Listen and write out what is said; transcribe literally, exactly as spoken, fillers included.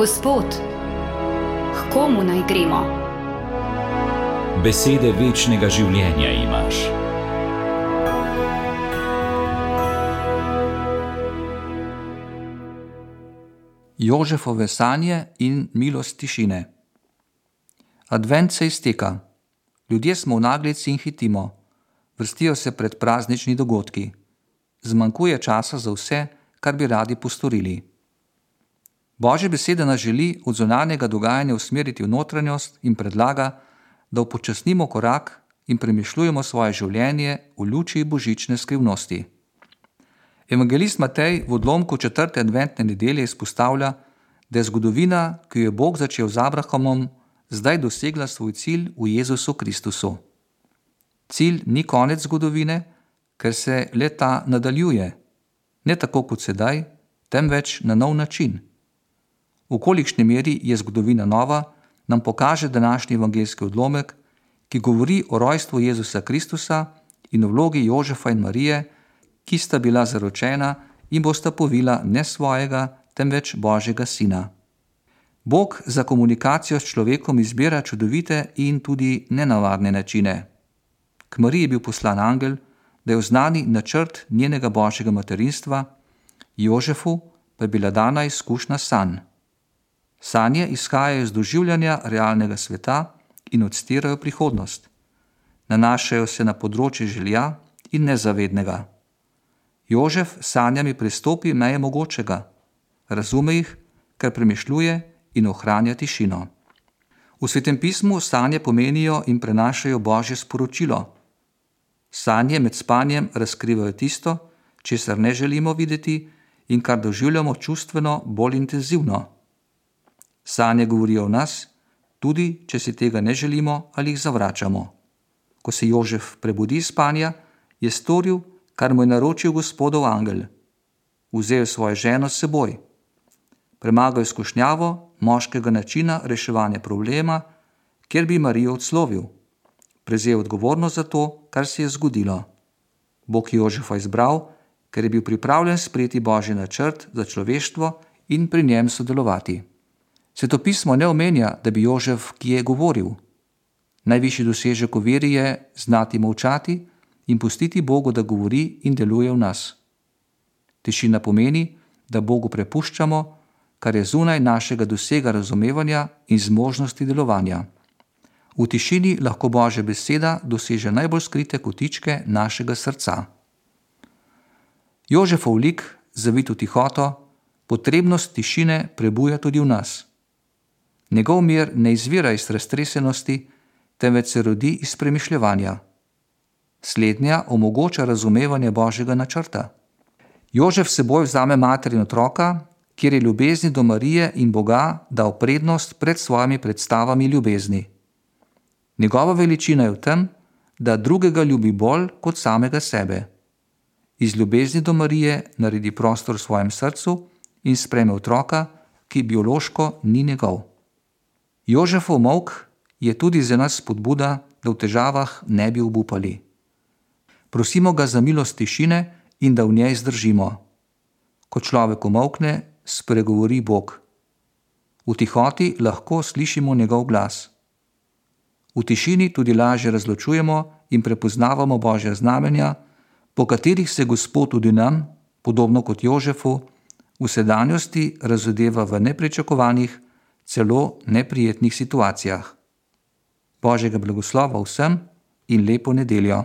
Gospod, k komu naj gremo? Besede večnega življenja imaš. Jožefove sanje in milost tišine. Advent se izteka. Ljudje smo v naglici in hitimo. Vrstijo se pred praznični dogodki. Zmanjkuje časa za vse, kar bi radi postorili. Božja beseda nas želi od zunanjega dogajanja usmeriti v notranjost in predlaga, da upočasnimo korak in premišljujemo svoje življenje v luči božične skrivnosti. Evangelist Matej v odlomku četrte adventne nedelje izpostavlja, da je zgodovina, ki jo je Bog začel z Abrahamom, zdaj dosegla svoj cilj v Jezusu Kristusu. Cilj ni konec zgodovine, ker se le ta nadaljuje, ne tako kot sedaj, temveč na nov način. V kolikšni meri je zgodovina nova, nam pokaže današnji evangeljski odlomek, ki govori o rojstvu Jezusa Kristusa in o vlogi Jožefa in Marije, ki sta bila zaročena in bosta povila ne svojega, temveč Božjega sina. Bog za komunikacijo s človekom izbira čudovite in tudi nenavadne načine. K Mariji je bil poslan angel, da je oznani načrt njenega Božjega materinstva, Jožefu pa je bila dana izkušnja sanj. Sanje izhajajo iz doživljanja realnega sveta in odstirajo prihodnost. Nanašajo se na področje želja in nezavednega. Jožef s sanjami prestopi meje mogočega, razume jih, ker premišljuje in ohranja tišino. V Svetem pismu sanje pomenijo in prenašajo Božje sporočilo. Sanje med spanjem razkrivajo tisto, česar ne želimo videti in kar doživljamo čustveno bolj intenzivno. Sanje govorijo o nas, tudi če si tega ne želimo ali jih zavračamo. Ko se Jožef prebudi iz spanja, je storil, kar mu je naročil Gospodov angel. Vzel svojo ženo s seboj. Premagal je skušnjavo moškega načina reševanja problema, kjer bi Marijo odslovil. Prevzel odgovornost za to, kar se je zgodilo. Bog Jožefa izbral, ker je bil pripravljen sprejeti Božji načrt za človeštvo in pri njem sodelovati. Svetopismo ne omenja, da bi Jožef kje govoril. Najvišji dosežek v veri je znati molčati in pustiti Bogu, da govori in deluje v nas. Tišina pomeni, da Bogu prepuščamo, kar je zunaj našega dosega razumevanja in zmožnosti delovanja. V tišini lahko Božja beseda doseže najbolj skrite kotičke našega srca. Jožefov lik, zavit v tihoto, potrebnost tišine prebuja tudi v nas. Njegov mir ne izvira iz raztresenosti, temveč se rodi iz premišljevanja. Slednja omogoča razumevanje Božjega načrta. Jožef s seboj vzame mater in otroka, kjer je ljubezni do Marije in Boga dal prednost pred svojimi predstavami ljubezni. Njegova veličina je v tem, da drugega ljubi bolj kot samega sebe. Iz ljubezni do Marije naredi prostor v svojem srcu in sprejme otroka, ki biološko ni njegov. Jožefov molk je tudi za nas spodbuda, da v težavah ne bi obupali. Prosimo ga za milost tišine in da v njej zdržimo. Ko človek umolkne, spregovori Bog. V tihoti lahko slišimo njegov glas. V tišini tudi lažje razločujemo in prepoznavamo Božja znamenja, po katerih se Gospod tudi nam, podobno kot Jožefu, v sedanjosti razodeva v nepričakovanih, celo neprijetnih situacijah. Božjega blagoslova vsem in lepo nedeljo.